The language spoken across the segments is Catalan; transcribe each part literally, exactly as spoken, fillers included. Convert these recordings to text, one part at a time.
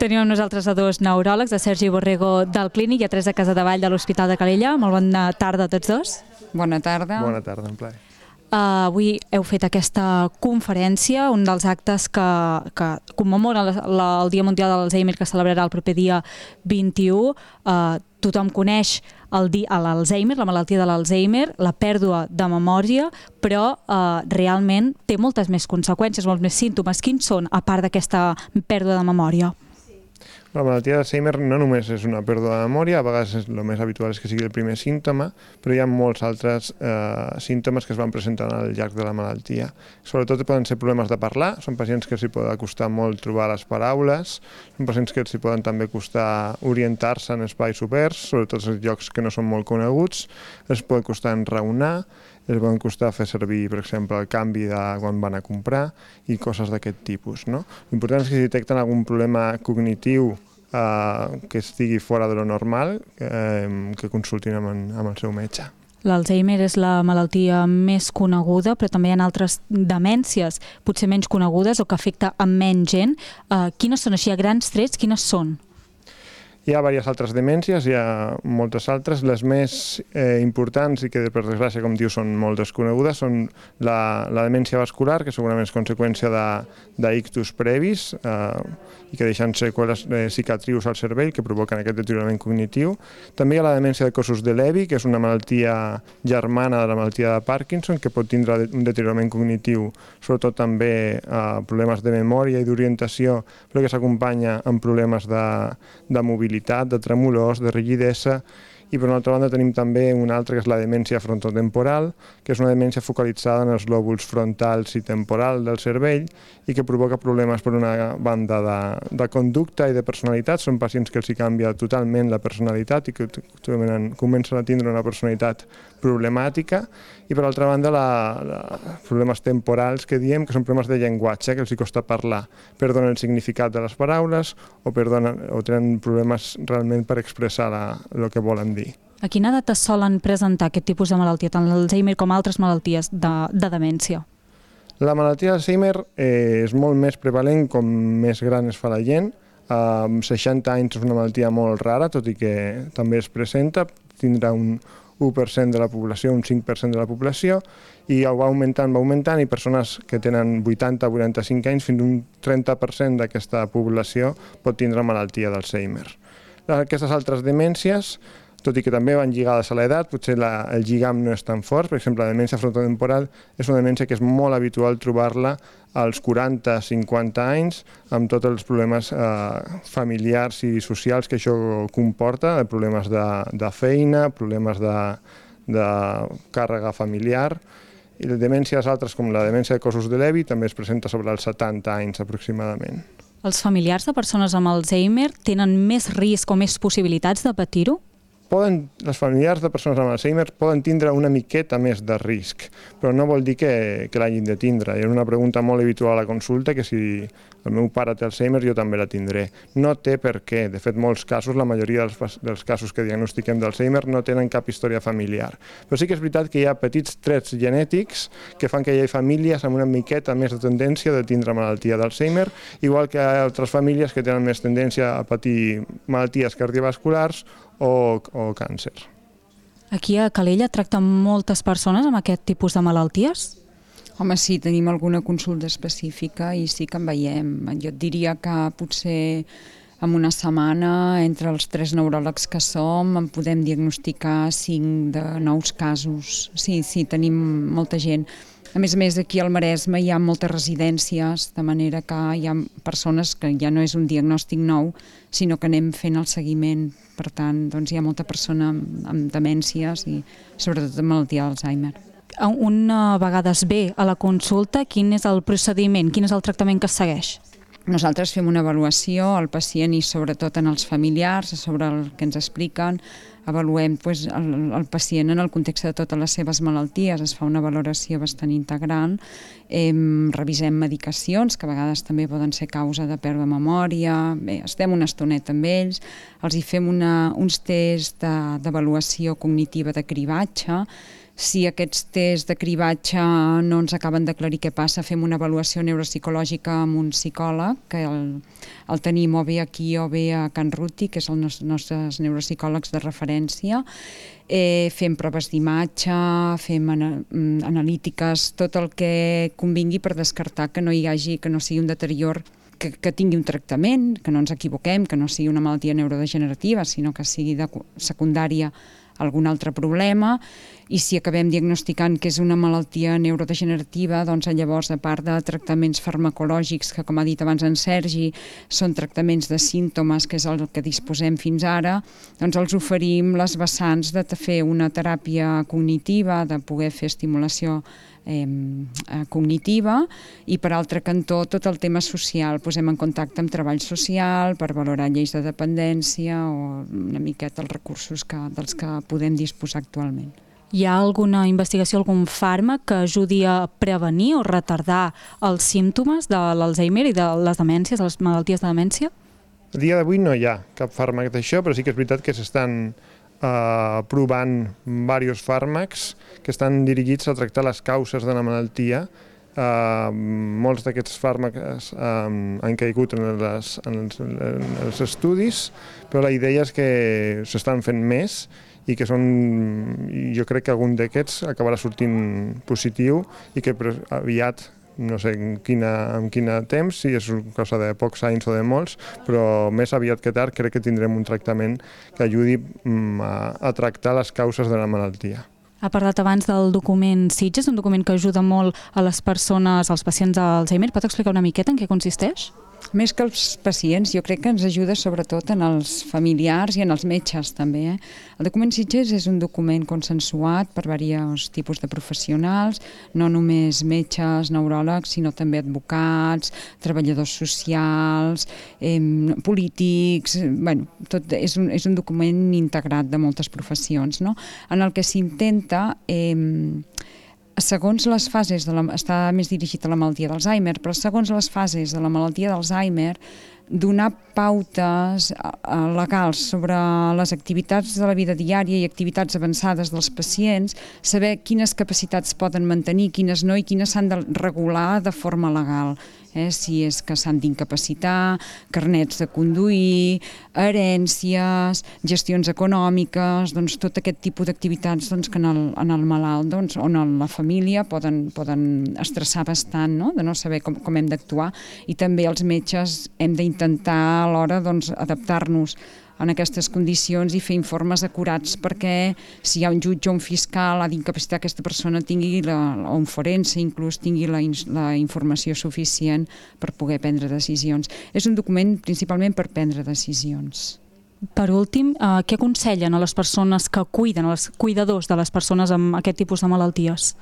Tenim amb nosaltres a dos neuròlegs, a Sergi Borrego del Clínic i a Teresa Casadevall de l'Hospital de Calella. Molt bona tarda a tots dos. Bona tarda. Bona tarda, en plaer. Uh, avui heu fet aquesta conferència, un dels actes que, que commemora la, la, el Dia Mundial de l'Alzheimer, que celebrarà el proper dia vint-i-u. Uh, tothom coneix el di, l'Alzheimer, la malaltia de l'Alzheimer, la pèrdua de memòria, però uh, realment té moltes més conseqüències, molts més símptomes. Quins són, a part d'aquesta pèrdua de memòria? La malaltia d'Alzheimer no només és una pèrdua de memòria, a vegades el més habitual és que sigui el primer símptoma, però hi ha molts altres eh, símptomes que es van presentant al llarg de la malaltia. Sobretot poden ser problemes de parlar, són pacients que els hi pot costar molt trobar les paraules, són pacients que els hi poden també costar orientar-se en espais oberts, sobretot en llocs que no són molt coneguts, els pot costar enraonar, els poden costar fer servir, per exemple, el canvi de quan van a comprar i coses d'aquest tipus, no? L'important és que si detecten algun problema cognitiu eh, que estigui fora de lo normal, eh, que consultin amb, amb el seu metge. L'Alzheimer és la malaltia més coneguda, però també hi ha altres demències, potser menys conegudes o que afecta a menys gent. Eh, quines són, així a grans trets, quines són? Hi ha diverses altres demències, hi ha moltes altres. Les més eh, importants i que, per desgràcia, com diu, són molt desconegudes, són la, la demència vascular, que segurament és conseqüència d'ictus previs eh, i que deixen seqüeles eh, cicatrius al cervell que provoquen aquest deteriorament cognitiu. També hi ha la demència de cossos de Levy, que és una malaltia germana de la malaltia de Parkinson, que pot tindre un deteriorament cognitiu, sobretot també eh, problemes de memòria i d'orientació, però que s'acompanya amb problemes de, de mobilitat, de tremolors, de rigidesa. I per una altra banda tenim també una altra que és la demència frontotemporal, que és una demència focalitzada en els lòbuls frontals i temporal del cervell i que provoca problemes per una banda de, de conducta i de personalitat. Són pacients que els hi canvia totalment la personalitat i que comencen a tindre una personalitat problemàtica. I per altra banda la, la, problemes temporals que diem, que són problemes de llenguatge, que els hi costa parlar, perdonen el significat de les paraules o, perdonen, o tenen problemes realment per expressar la, el que volen dir. A quina edat es solen presentar aquest tipus de malaltia, tant l'Alzheimer com altres malalties de, de demència? La malaltia d'Alzheimer eh, és molt més prevalent com més gran es fa la gent. Amb seixanta anys és una malaltia molt rara, tot i que també es presenta, tindrà un u per cent de la població, un cinc per cent de la població, i va augmentant, va augmentant, i persones que tenen vuitanta a vuitanta-cinc anys, fins a un trenta per cent d'aquesta població pot tindre malaltia d'Alzheimer. Aquestes altres demències, tot i que també van lligades a l'edat, potser la, el lligam no és tan fort. Per exemple, la demència frontotemporal és una demència que és molt habitual trobar-la als quaranta a cinquanta anys, amb tots els problemes eh, familiars i socials que això comporta, problemes de, de feina, problemes de, de càrrega familiar. I les demències altres, com la demència de cossos de Levy, també es presenta sobre els setanta anys aproximadament. Els familiars de persones amb Alzheimer tenen més risc o més possibilitats de patir-ho? Poden, els familiars de persones amb Alzheimer poden tindre una miqueta més de risc, però no vol dir que, que l'hagin de tindre. Hi ha una pregunta molt habitual a la consulta, que si el meu pare té Alzheimer jo també la tindré. No té per què. De fet, molts casos, la majoria dels, dels casos que diagnostiquem d'Alzheimer no tenen cap història familiar. Però sí que és veritat que hi ha petits trets genètics que fan que hi hagi famílies amb una miqueta més de tendència de tindre malaltia d'Alzheimer, igual que hi ha altres famílies que tenen més tendència a patir malalties cardiovasculars o, o càncer. Aquí a Calella tracten moltes persones amb aquest tipus de malalties? Home, sí, tenim alguna consulta específica i sí que en veiem. Jo et diria que potser en una setmana, entre els tres neuròlegs que som, en podem diagnosticar cinc de nous casos. Sí, sí, tenim molta gent. A més a més, aquí al Maresme hi ha moltes residències, de manera que hi ha persones que ja no és un diagnòstic nou, sinó que anem fent el seguiment. Per tant, doncs hi ha molta persona amb, amb demències i sobretot amb malaltia d'Alzheimer. Una vegada es ve a la consulta, quin és el procediment, quin és el tractament que es segueix? Nosaltres fem una avaluació al pacient i sobretot en els familiars, sobre el que ens expliquen. Avaluem doncs, el, el pacient en el context de totes les seves malalties, es fa una valoració bastant integral, eh, revisem medicacions, que a vegades també poden ser causa de pèrdua de memòria, bé, estem una estoneta amb ells, els hi fem una, uns tests d'avaluació cognitiva de cribatge, Si aquests tests de cribatge no ens acaben d'aclarir què passa, fem una avaluació neuropsicològica amb un psicòleg, que el, el tenim o bé aquí o bé a Can Ruti, que és el nos, nostres neuropsicòlegs de referència. Eh, fem proves d'imatge, fem ana, analítiques, tot el que convingui per descartar que no hi hagi, que no sigui un deterior, que, que tingui un tractament, que no ens equivoquem, que no sigui una malaltia neurodegenerativa, sinó que sigui de secundària algun altre problema, i si acabem diagnosticant que és una malaltia neurodegenerativa, doncs llavors, a part de tractaments farmacològics, que com ha dit abans en Sergi, són tractaments de símptomes, que és el que disposem fins ara, doncs els oferim les vessants de fer una teràpia cognitiva, de poder fer estimulació eh, cognitiva, i per altre cantó tot el tema social, posem en contacte amb treball social per valorar lleis de dependència o una miqueta els recursos que, dels que podem disposar actualment. Hi ha alguna investigació, algun fàrmac que ajudi a prevenir o retardar els símptomes de l'Alzheimer i de les demències, de les malalties de demència? A dia d'avui no hi ha cap fàrmac d'això, però sí que és veritat que s'estan Uh, provant diversos fàrmacs que estan dirigits a tractar les causes de la malaltia. Uh, molts d'aquests fàrmacs um, han caigut en, les, en, els, en els estudis, però la idea és que s'estan fent més i que són, jo crec que algun d'aquests acabarà sortint positiu i que aviat, no sé en quina, en quin temps, si és cosa de pocs anys o de molts, però més aviat que tard crec que tindrem un tractament que ajudi a, a tractar les causes de la malaltia. Ha parlat abans del document Sitges, un document que ajuda molt a les persones, als pacients d'Alzheimer. Pot explicar una miqueta en què consisteix? Més que els pacients, jo crec que ens ajuda sobretot en els familiars i en els metges també. Eh? El document Sitges és un document consensuat per diversos tipus de professionals, no només metges, neuròlegs, sinó també advocats, treballadors socials, eh, polítics, bueno, tot és un, és un document integrat de moltes professions, no? En el que s'intenta eh, segons les fases, de la, està més dirigit a la malaltia d'Alzheimer, però segons les fases de la malaltia d'Alzheimer, donar pautes legals sobre les activitats de la vida diària i activitats avançades dels pacients, saber quines capacitats poden mantenir, quines no i quines s'han de regular de forma legal. Eh, si és que s'han d'incapacitar, carnets de conduir, herències, gestions econòmiques, doncs tot aquest tipus d'activitats doncs, que en el, en el malalt doncs, o en la família poden, poden estressar bastant, no? De no saber com, com hem d'actuar, i també els metges hem d'intentar alhora doncs, adaptar-nos en aquestes condicions i fer informes acurats perquè si hi ha un jutge o un fiscal ha d'incapacitar aquesta persona tingui la, o un forense inclús tingui la, la informació suficient per poder prendre decisions. És un document principalment per prendre decisions. Per últim, eh, què aconsellen a les persones que cuiden, als cuidadors de les persones amb aquest tipus de malalties?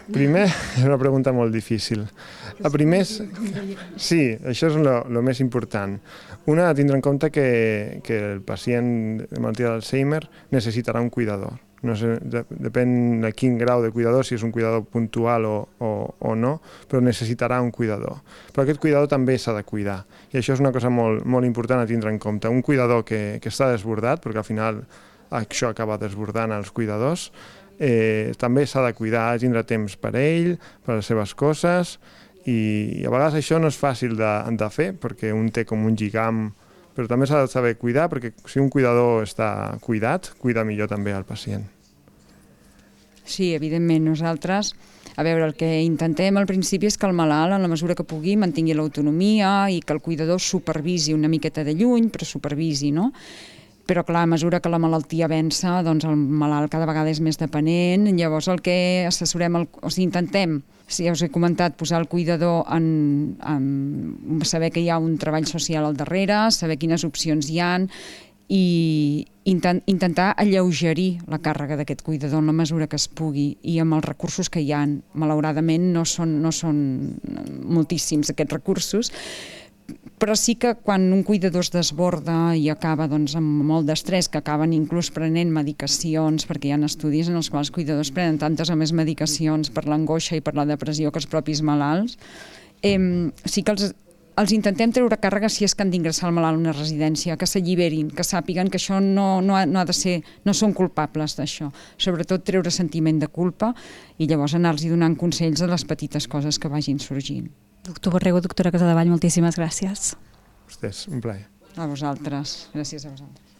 Primer, és una pregunta molt difícil. A primer, sí, això és el més important. Una, tindre en compte que, que el pacient de malaltia d'Alzheimer necessitarà un cuidador. No sé, depèn de quin grau de cuidador, si és un cuidador puntual o, o, o no, però necessitarà un cuidador. Però aquest cuidador també s'ha de cuidar. I això és una cosa molt, molt important a tindre en compte. Un cuidador que, que està desbordat, perquè al final això acaba desbordant els cuidadors, eh, també s'ha de cuidar, ha de tindre temps per ell, per les seves coses, i a vegades això no és fàcil de, de fer, perquè un té com un lligam, però també s'ha de saber cuidar, perquè si un cuidador està cuidat, cuida millor també al pacient. Sí, evidentment, nosaltres, a veure, el que intentem al principi és que el malalt, en la mesura que pugui, mantingui l'autonomia i que el cuidador supervisi una miqueta de lluny, però supervisi, no? Però clar, a mesura que la malaltia avança, doncs el malalt cada vegada és més dependent, llavors el que assessorem, el, o sigui, intentem, si ja us he comentat, posar el cuidador en, en saber que hi ha un treball social al darrere, saber quines opcions hi ha, i intent, intentar alleugerir la càrrega d'aquest cuidador en la mesura que es pugui i amb els recursos que hi ha. Malauradament no són, no són moltíssims aquests recursos, però sí que quan un cuidador es desborda i acaba doncs, amb molt d'estrès, que acaben inclús prenent medicacions, perquè hi ha estudis en els quals els cuidadors prenen tantes o més medicacions per l'angoixa i per la depressió que els propis malalts, eh, sí que els els intentem treure càrrega si és que han d'ingressar el malalt a una residència, que s'alliberin, que sàpiguen que això no, no, ha, no ha de ser, no són culpables d'això. Sobretot treure sentiment de culpa i llavors anar-los donant consells de les petites coses que vagin sorgint. Doctor Borrego, doctora Casadevall, moltíssimes gràcies. A vostès, un plaer. A vosaltres, gràcies a vosaltres.